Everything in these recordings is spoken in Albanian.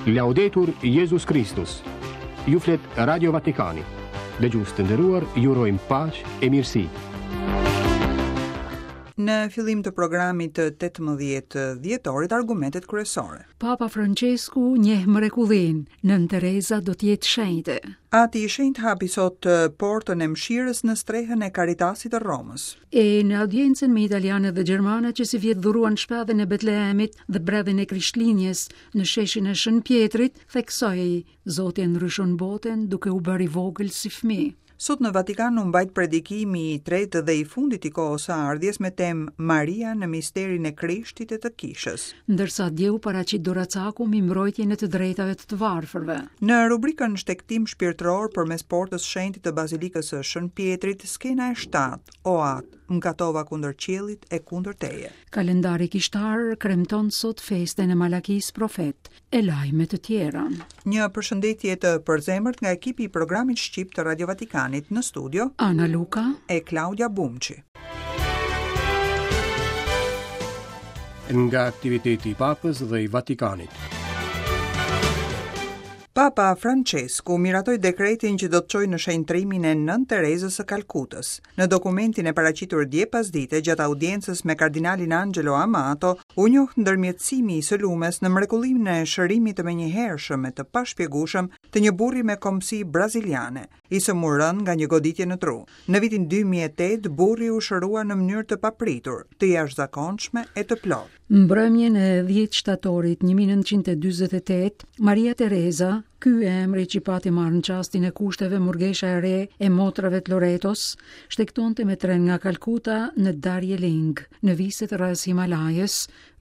Laudetur Jezus Kristus. Ju flet Radio Vatikani. Dëgjues të nderuar, ju urojmë paqe e mirësi. Në fillim të programit të 18 dhjetorit argumentet kryesore. Papa Françesku njeh mrekullinë, Nënë Tereza do të jetë shenjte. Ati i Shenjtë hapi sot portën e mëshirës në strehën e Caritasit të Romës. E në audiencën me italianët dhe gjermanët që sivjet dhuruan shpellën e Betlehemit dhe bredhin e Krishtlindjes në sheshin e Shën Pjetrit, theksoi, Zoti e ndryshon botën duke u bërë i vogël si fëmijë. Sot në Vatikan u mbajt predikimi i tretë dhe i fundit i kohës së ardhjes me temë Maria në misterin e Krishtit e të Kishës. Ndërsa dje u paraqit doracaku mbi mbrojtjen e të drejtave të të varfërve. Në rubrikën Shtegtim shpirtëror përmes portës shenjte të Bazilikës së Shën Pjetrit, skena e 7, O Atë, mëkatova kundër qiellit e kundër teje. Kalendari kishtar kremton sot festën e Malakisë profet e lajme të tjera. Një përshëndetje të përzemërt nga ekipi i programit shqip të Radio Vatikanit në studio Ana Luka e Klaudia Bumçi. Nga aktiviteti i Papës dhe i Vatikanit. Papa Françesku miratoi dekretin që do të çojë në shenjtërimin e Nënë Terezës së Kalkutës. Në dokumentin e paraqitur dje pasdite gjatë audiencës me kardinalin Angelo Amato, u njoh ndërmjetësimi i së lumes në mrekullinë e shërimit të menjëhershëm e të pashpjegueshëm të një burri me kombësi braziliane, i sëmurë rëndë nga një goditje në tru. Në vitin 2008, burri u shërua në mënyrë të papritur, të jashtëzakonshme e të plotë. Mbrëmjen e 10 shtatorit 1948, Maria Tereza, ky emri që pati marrë në çastin e kushteve murgesha e re e motrave të Loretos, shtegtonte me tren nga Kalkuta në Darjeeling, në viset rrëzë Himalajës,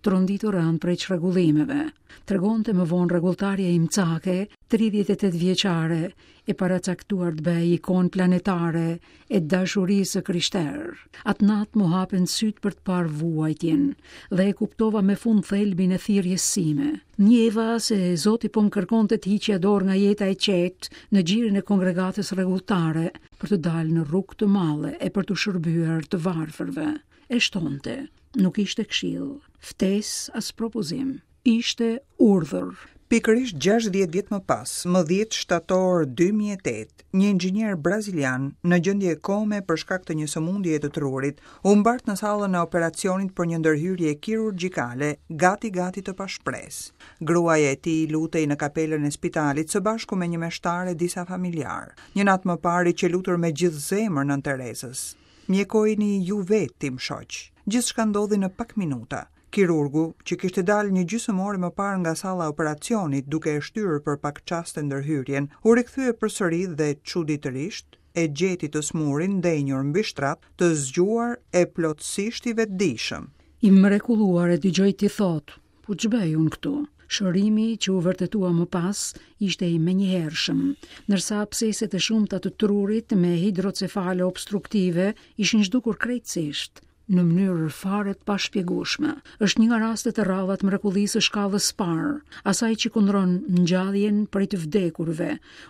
tronditur rëndë prej çrregullimeve. Tregonte më vonë rregulltarja imcake, 38 vjeçare, e paracaktuar të bëhej ikonë planetare e dashurisë së krishterë. Atë natë m'u hapën sytë për të parë vuajtjen dhe e kuptova me fund thelbin e thirrjes sime. Ndjeva se Zoti po më kërkonte të hiqja dorë nga jeta e qetë në gjirin e kongregatës rregulltare për të dalë në rrugë të madhe e për t'u shërbyer të varfërve. E shtonte, nuk ishte këshillë, ftesë as propozim. Ishte urdhër. Pikërisht 60 vjet më pas, më 10 shtator 2008, një inxhinier brazilian në gjendje kome për shkak të një sëmundjeje të trurit, u mbart në sallën e operacionit për një ndërhyrje kirurgjikale, gati gati të pashpresë. Gruaja e tij lutej në kapelën e spitalit së bashku me një meshtar e disa familjarë. Një natë më parë i qe lutur me gjithë zemër Nënë Terezës. Mjekojeni ju vetë tim shoq. Gjithçka ndodhi në pak minuta. Kirurgu, që kishte dalë një gjysmë ore më parë nga salla e operacionit duke e shtyrë për pak çaste ndërhyrjen, u rikthye përsëri dhe çuditërisht e gjeti të sëmurin ndenjur mbi shtrat, të zgjuar e plotësisht i vetëdijshëm. I mrekulluar e dëgjoj t'i thotë, Po ç'bëj unë këtu? Shërimi që u vërtetua më pas ishte i menjëhershëm, ndërsa absceset e shumta të trurit me hidrocefale obstruktive ishin zhdukur krejtësisht në mënyrë fare të pashpjegueshme. Është një nga rastet e rralla të mrekullisë së shkallës së parë, asaj që kundron ngjalljen prej të vdekurve,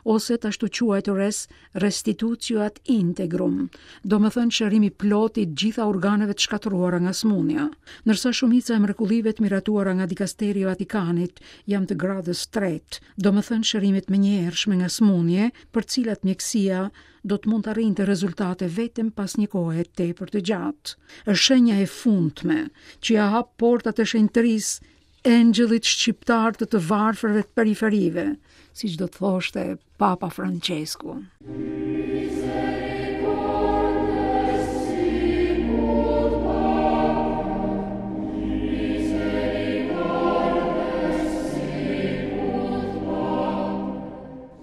ose të ashtuquajturës restitutio ad integrum, domethënë shërim i plotë i të gjitha organeve të shkatërruara nga sëmundja. Ndërsa shumica e mrekullive të miratuara nga dikasteri i Vatikanit janë të gradës tretë, domethënë shërime të menjëhershme nga sëmundje, për të cilat mjekësia do të mund të arrinte rezultate vetëm pas një kohe tepër të gjatë. Është shenja e fundme që ia hap portat e shenjtërisë engjëllit shqiptar të të varfërve të periferive, siç do të thoshte Papa Francesku.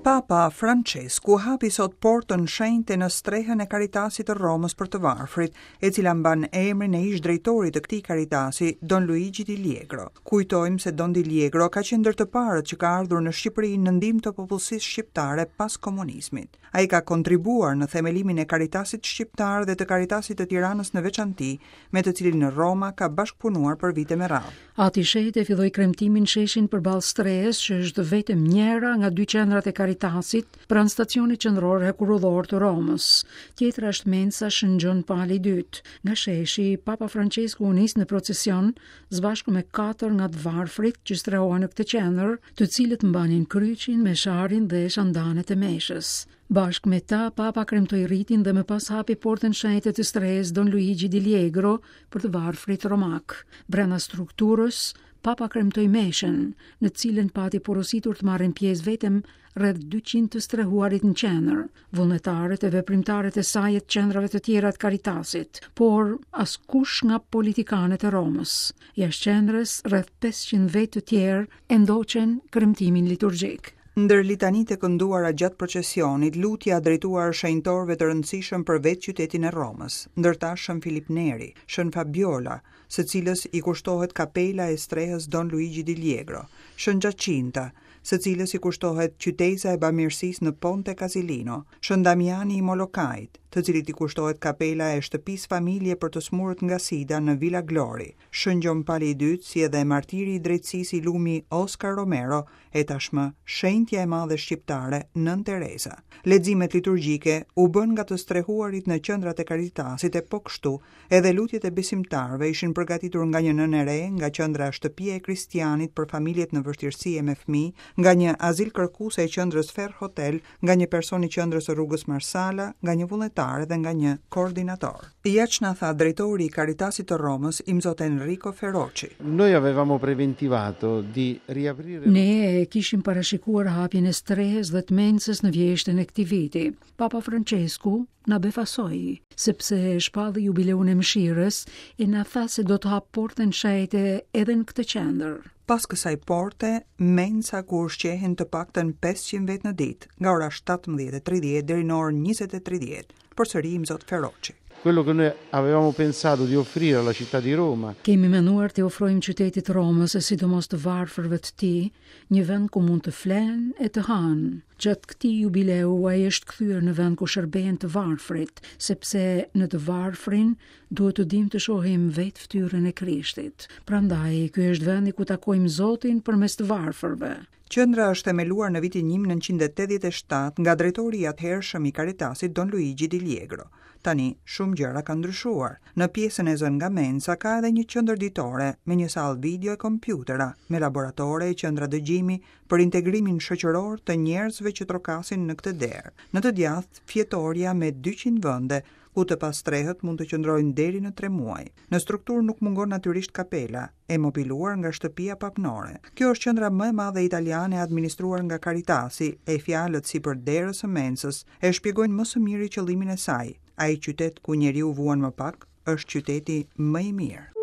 Papa Françesku hapi sot portën shenjte në strehën e Caritasit të Romës për të varfrit, e cila mban emrin e ish-drejtorit të këtij Caritasi, Don Luigi Di Liegro. Kujtojmë se Don Di Liegro ka qenë ndër të parët që ka ardhur në Shqipëri në ndihmë të popullsisë shqiptare pas komunizmit. Ai ka kontribuar në themelimin e Caritasit shqiptar dhe të Caritasit të Tiranës në veçanti, me të cilin Roma ka bashkëpunuar për vite me radhë. Ati i Shenjtë e filloi kremtimin në sheshin përballë strehës, që është vetëm njëra nga dy qendrat e Caritasit. Caritasit pranë stacionit qendror hekurudhor të Romës. Tjetra është mensa Shën Gjon Pali i Dytë. Nga sheshi, Papa Françesku u nis në procesion së bashku me katër nga të varfrit që strehohen në këtë qendër, të cilët mbanin kryqin, mesharin dhe shandanet e meshës. Bashkë me ta, Papa kremtoi ritin dhe më pas hapi portën shenjte të strehës Don Luigi di Liegro për të varfrit romakë. Brenda strukturës, Papa kremtoi meshën, në të cilën pati porositur të marrin pjesë vetëm rreth 200 të strehuarit në qendër, vullnetarët e veprimtarët e saj e të qendrave të tjera të Caritasit, por askush nga politikanët e Romës. Jashtë qendrës, rreth 500 vetë të tjerë e ndoqën kremtimin liturgjik. Ndër litanitë e kënduara gjatë procesionit, lutja drejtuar shenjtorëve të rëndësishëm për vetë qytetin e Romës, ndër ta Shën Filip Neri, Shën Fabiola, së cilës i kushtohet kapela e strehës Don Luigi di Liegro, Shën Giacinta, së cilës i kushtohet qyteza e bamirësisë në Ponte Casilino, Shën Damiani i Molokait, të cilit i kushtohet kapela e shtëpisë familje për të sëmurët nga sida në Villa Glori, Shën Gjon Pali i Dytë, si edhe martiri i drejtësisë i lumi Oscar Romero e tashmë shenjtja e madhe shqiptare Nënë Tereza. Leximet liturgjike u bënë nga të strehuarit në qendrat e Caritasit e po kështu edhe lutjet e besimtarëve ishin përgatitur nga një nënë e re nga qendra Shtëpia e Kristianit për familjet në vështirësi e me fëmijë, nga një azilkërkuese e qendrës Ferr Hotel, nga një person i qendrës së rrugës Marsala, nga një vullnetar dhe nga një koordinator. Ja ç'na tha drejtori i Caritasit të Romës, Imzot Enrico Feroci. Noi avevamo preventivato di riaprire Ne e kishim parashikuar hapjen e strehës dhe të mensës në vjeshtën e këtij viti. Papa Françesku na befasoi, sepse shpalli jubileun e mëshirës e na tha se do të hapë portën shenjte edhe në këtë qendër. Pas kësaj porte, mensa ku ushqehen të paktën 500 vetë në ditë, nga ora 17:30 deri në orën 20:30, përsëri Imzot Feroci. Quello che noi avevamo pensato di offrire alla città di Roma. Kemi menduar t'i ofrojmë qytetit të Romës e sidomos të varfërve të tij, një vend ku mund të flenë e të hanë. Gjatë këtij jubileu ai është kthyer në vend ku shërbehen të varfrit, sepse në të varfrin Duhet të dimë të shohim vetë fytyrën e Krishtit. Prandaj, ky është vendi ku takojmë Zotin përmes të varfërve. Qendra është themeluar në vitin 1987 nga drejtori i atëhershëm i Caritasit Don Luigi Di Liegro. Tani, shumë gjëra kanë ndryshuar. Në pjesën e zënë nga mensa ka edhe një qendër ditore me një sallë video e kompjutera, me laboratore e qendra dëgjimi për integrimin shoqëror të njerëzve që trokasin në këtë derë. Në të djathtë, fjetorja me 200 vende, ku të pastrehët mund të qëndrojnë deri në tre muaj. Në strukturë nuk mungon natyrisht kapela, e mobiluar nga shtëpia papnore. Kjo është qendra më e madhe italiane e administruar nga Caritasi, e fjalët sipër derës së mensës e shpjegojnë më së miri qëllimin e saj, ai qytet ku njeriu vuan më pak, është qyteti më i mirë.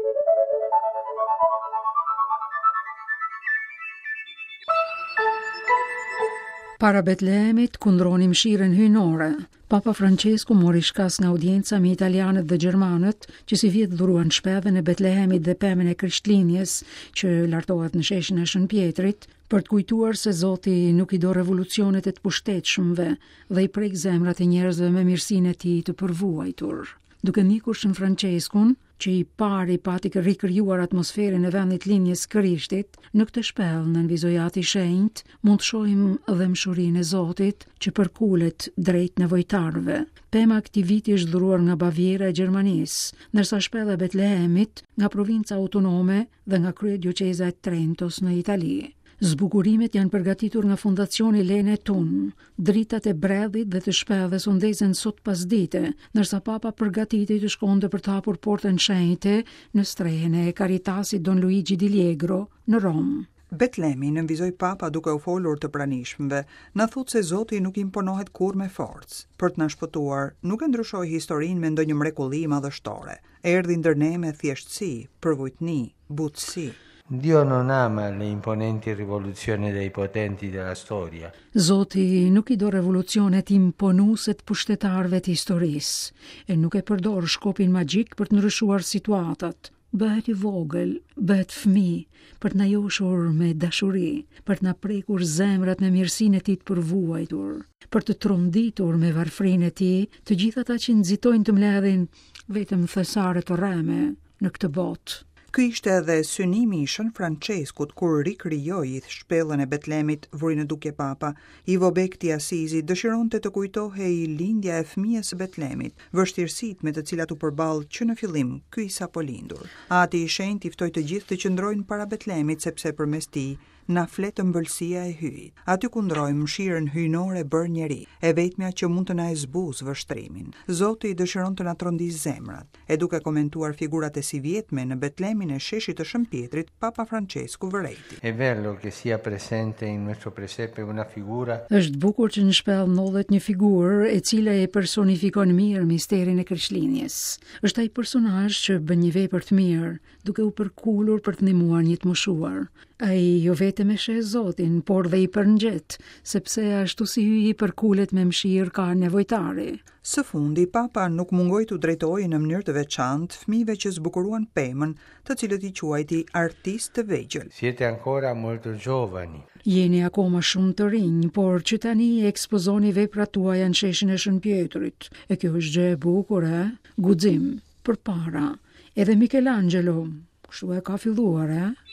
Para Betlehemit kundroni mëshirën hyjnore. Papa Francesku mori shkas nga audienca me italianët dhe gjermanët, që sivjet dhuruan shpellën e Betlehemit dhe pemën e Krishtlindjes, që lartohet në sheshin e Shën Pjetrit, për të kujtuar se Zoti nuk i do revolucionet e të pushtetshmëve dhe i prek zemrat e njerëzve me mirësinë e tij të përvuajtur. Duke ndjekur Shën Françeskun, që i pari pati rikrijuar atmosferën e vendit lindjes Krishtit, në këtë shpellë nënvizoi Ati i Shenjtë, mund të shohim dhembshurinë e Zotit që përkulet drejt nevojtarëve. Pema e këtij viti është dhuruar nga Baviera e Gjermanisë, ndërsa shpella e Betlehemit nga provinca autonome dhe nga kryedioqeza e Trentos në Itali. Zbukurimet janë përgatitur nga Fondacioni Lene Thun. Dritat e bredhit dhe të shpellës u ndezën sot pasdite, ndërsa Papa përgatitej të shkonte për të hapur portën shenjte në strehën e Caritasit Don Luigi Di Liegro në Romë. Betlemi, nënvizoi Papa duke u folur të pranishmëve, na thotë se Zoti nuk imponohet kurrë me forcë. Për të na shpëtuar, nuk e ndryshoi historinë me ndonjë mrekulli madhështore. Erdhi ndër ne me thjeshtësi, përvujtni, butësi. Dio non ama le imponenti rivoluzioni dei potenti della storia. Zoti nuk i do revolucionet imponuese të pushtetarëve të historisë, e nuk e përdor shkopin magjik për të ndryshuar situatat. Bëhet i vogël, bëhet fëmijë, për të na joshur me dashuri, për të na prekur zemrat me mirësinë e tij të përvuajtur, për të tronditur me varfërinë e tij të gjithë ata që nxitojnë të mbledhin vetëm thesare të rreme në këtë botë. Ky ishte edhe synimi i Shën Françeskut kur rikrijoi shpellën e Betlemit, vuri në dukje Papa. I vobekti i Asizit dëshironte të kujtohej lindja e fëmijës së Betlemit, vështirësitë me të cilat u përball që në fillim ky i sapolindur. Ati i Shenjtë i ftoi të gjithë të qëndrojnë para Betlemit sepse përmes tij na flet ëmbëlsia e Hyjit. Aty kundrojmë mëshirën hyjnore bërë njeri, e vetmja që mund të na e zbusë vështrimin. Zoti dëshiron të na trondisë zemrat. E duke komentuar figurat e sivjetme në Betlemin e sheshit të Shën Pjetrit, Papa Françesku vërejti. È bello che sia presente in nostro presepe una figura. Është bukur që në shpellë ndodhet një figurë e cila e personifikon mirë misterin e Krishtlindjes. Është ai personazh që bën një vepër të mirë, duke u përkulur për të ndihmuar një të moshuar. Ai jo vetëm e sheh Zotin, por dhe i përngjet, sepse ashtu si Hyji përkulet me mëshirë kah nevojtari. Së fundi, Papa nuk mungoi t'u drejtohej në mënyrë të veçantë fëmijëve që zbukuruan pemën, të cilët i quajti artistë të vegjël. Siete ancora molto giovani. Jeni akoma shumë të rinj, por që tani ekspozoni veprat tuaja në sheshin e Shën Pjetrit. E kjo është gjë e bukur, e? Guxim. Përpara. Edhe Michelangelo, kështu e ka filluar, e?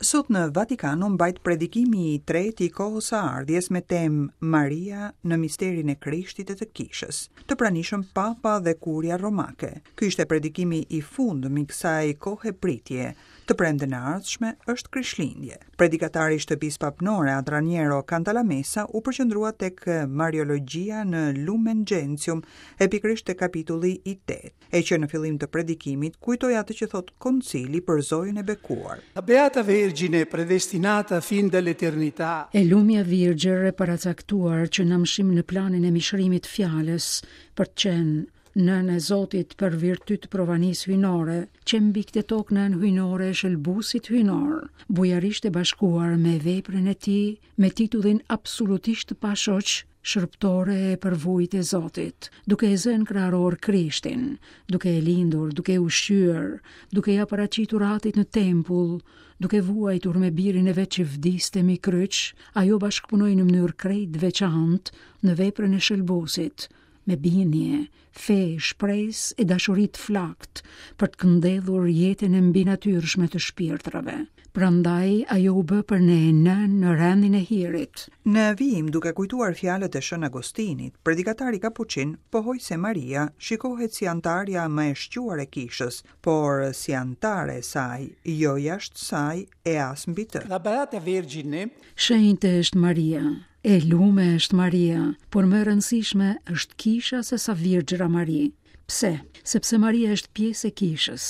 Sot në Vatikan u mbajt predikimi i tretë i kohës së ardhjes me temë Maria në misterin e Krishtit e të Kishës. Të pranishëm Papa dhe Kuria Romake. Ky ishte predikimi i fundëm i kësaj kohe pritje. Të premten e ardhshme është Krishtlindje. Predikatari i shtëpisë papnore At Raniero Cantalamessa u përqendrua tek Mariologjia në Lumen Gentium e pikërisht te kapitulli i 8. E që në fillim të predikimit kujtoi atë që thotë Koncili për Zojën e Bekuar. La Beata Vergine predestinata fin dall'eternità. E lumja Virgjër e paracaktuar që në amshim në planin e mishërimit të fjalës për të qenë nënë e Zotit për virtyt të provanisë hyjnore, qe mbi këtë tokë nënë hyjnore e shëlbuesit hyjnor, bujarisht e bashkuar me veprën e tij, me titullin absolutisht të pashoq, shërbëtore e përvujtë e Zotit, duke e zënë kraharor Krishtin, duke e lindur, duke e ushqyer, duke ia paraqitur atit në tempull, duke vuajtur me birin e vet që vdiste mbi kryq, ajo bashkëpunoi në mënyrë krejt të veçantë në veprën e shëlbuesit, me bindje, fe, shpresë e dashuri të flaktë për të këndellur jetën e mbinatyrshme të shpirtrave. Prandaj ajo u bë për ne nënë në rendin e hirit. Në vijim, duke kujtuar fjalët e Shën Agostinit, predikatari kapuçin pohoi se Maria shikohet si anëtarja më e shquar e Kishës, por si anëtare e saj, jo jashtë saj e as mbi të. La Beata Vergine Shenjte është Maria, E lume është Maria, por më e rëndësishme është kisha se sa Virgjëra Mari. Pse? Sepse Maria është pjesë e kishës,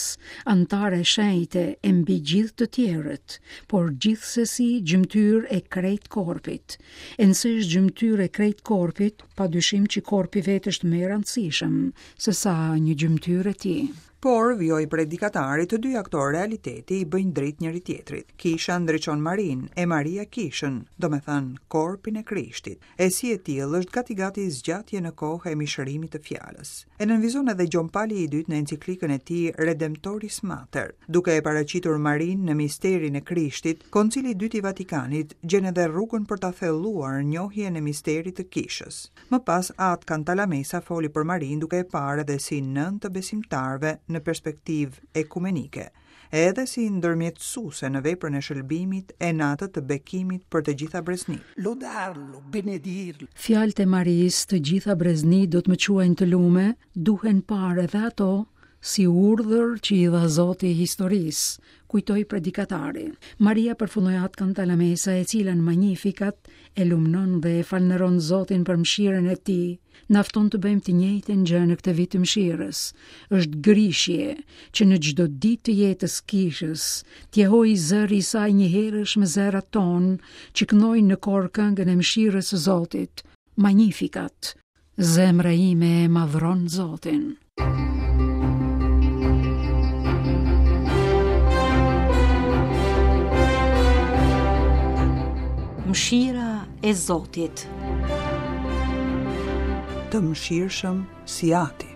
anëtare e shenjte e mbi gjithë të tjerët, por gjithsesi gjymtyrë e krejt korpit. E nëse është gjymtyrë e krejt korpit, pa dyshim që korpi vetë është më i rëndësishëm se sa një gjymtyrë e tij. Por, vijoi predikatari, të dyja këto realitete i bëjnë dritë njëri-tjetrit. Kisha ndriçon Marinë, e Maria kishën, domethënë korpin e Krishtit. E si e tillë është gati-gati zgjatje në kohë e mishërimit të fjalës. E nënvizon edhe Gjon Pali i Dytë në enciklikën e tij Redemptoris Mater. Duke e paraqitur Marinë në misterin e Krishtit, Koncili i Dytë i Vatikanit gjen edhe rrugën për ta thelluar njohjen e misterit të kishës. Më pas At Cantalamessa foli për Marinë duke e parë edhe si nënë të besimtarëve në perspektivë ekumenike, edhe si ndërmjetësuese në veprën e shëlbimit e në atë të bekimit për të gjitha breznitë. Lodarlo, benedirlo. Fjalët e Marisë të gjitha breznitë do të më quajnë të lume, duhen parë edhe ato si urdhër që i dha Zoti historisë, kujtoi predikatari. Maria përfundoi At Cantalamessa e cila në Magnificat e lumnon dhe e falënderon Zotin për mëshirën e tij, na fton të bëjmë të njëjtën gjë në këtë vit të mëshirës. Është grishje që në çdo ditë të jetës kishës, të jehojë zëri i saj njëherësh me zërat tanë që këndojnë në kor këngën e mëshirës së Zotit. Magnificat. Zemra ime e madhron Zotin. Mëshira e Zotit. Të mëshirshëm si Ati.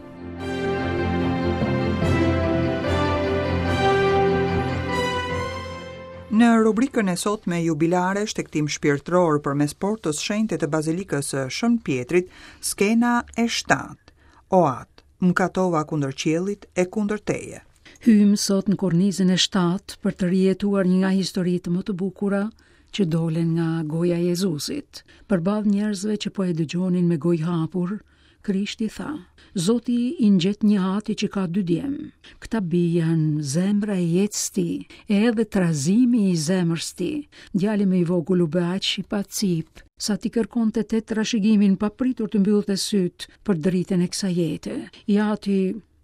Në rubrikën e sotme jubilare shtegtim shpirtëror përmes portës shenjte të Bazilikës së Shën Pjetrit, skena e 7. O Atë, mëkatova kundër qiellit e kundër teje. Hyjmë sot në kornizën e 7 për të rijetuar një nga historitë më të bukura që dolën nga goja e Jezusit. Përballë njerëzve që po e dëgjonin me gojë hapur, Krishti tha, Zoti i ngjet një ati që ka dy djem. Këta bij janë zemra e jetës tij, e edhe trazimi i zemrës tij. Djali më i vogël u bë aq i pacipë, sa t'i kërkonte të trashëgiminë pa pritur të mbyllte sytë për dritën e kësaj jete. I ati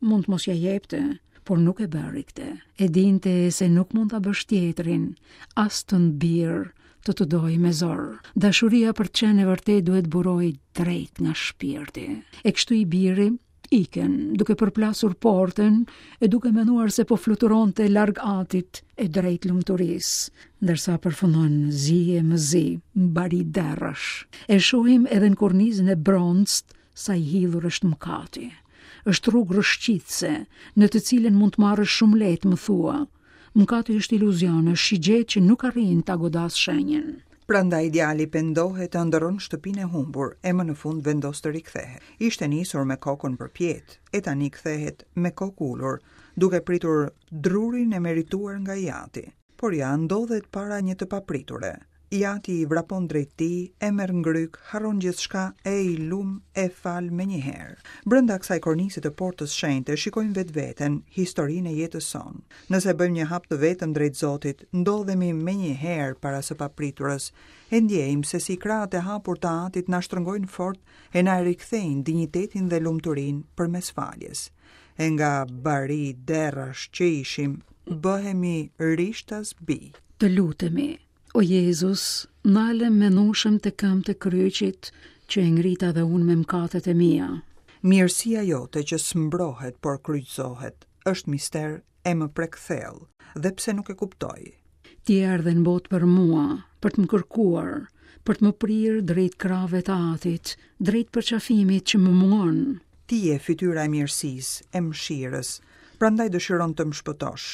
mund të mos ia jepte, por nuk e bëri këtë. E dinte se nuk mund ta bësh tjetrin, as tëndin bir, të të dojë me zor. Dashuria për të qenë e vërtetë duhet burojë drejt nga shpirti. E kështu i biri ikën, duke përplasur portën e duke menduar se po fluturonte larg atit e drejt lumturisë, ndërsa përfundon zi e më zi, bari derrash. E shohim edhe në kornizën e bronztë sa i hidhur është mëkati. Është rrugë rrëshqitëse, në të cilën mund të marrësh shumë lehtë, më thua. Mëkati është iluzion, është shigjetë që nuk arrin ta godasë shenjën. Prandaj djali pendohet e ëndërron shtëpinë e humbur e më në fund vendos të rikthehet. Ishte nisur me kokën përpjetë, e tani kthehet me kokë ulur, duke pritur drurin e merituar nga i ati. Por ja, ndodhet para një të papriture. I ati i vrapon drejt tij, e merr në grykë, harron gjithçka e i lum e fal menjëherë. Brenda kësaj kornize të portës shenjte shikojmë vetveten, historinë e jetës sonë. Nëse bëjmë një hap të vetëm drejt Zotit, ndodhemi menjëherë para së papriturës. E ndjejmë se si krahët e hapur të Atit na shtrëngojnë fort e na e rikthejnë dinjitetin dhe lumturinë përmes faljes. E nga bari derrash që ishim, bëhemi rishtas bij. Të lutemi, o Jezus, nalem menushem te këmbët e kryqit që e ngrita dhe unë me mëkatet e mia. Mirësia jote që s'mbrohet por kryqëzohet, është mister e më prek thellë, dhe pse nuk e kuptoj. Ti erdhe në botë për mua, për të më kërkuar, për të më prirë drejt krahëve të Atit, drejt përqafimit që më mungon. Ti je fytyra e mirësisë, e mëshirës, prandaj dëshiron të më shpëtosh.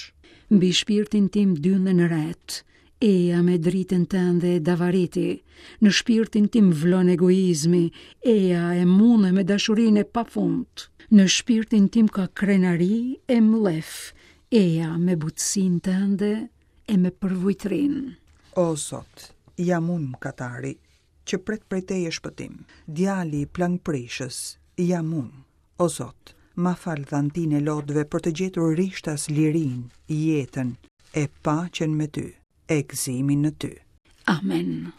Mbi shpirtin tim dynden retë, eja me dritën tënde e davariti, në shpirtin tim vlon egoizmi, eja e munde me dashurinë e pafund. Në shpirtin tim ka krenari e mllef, eja me butësinë tënde e me përvujtërinë. O Zot, jam unë mëkatari, që pret prej teje shpëtim. Djali plangprishës, jam unë. O Zot, ma fal dhantinë e lotëve për të gjetur rishtas lirinë, jetën e paqen me ty, e gëzimin në ty. Amen.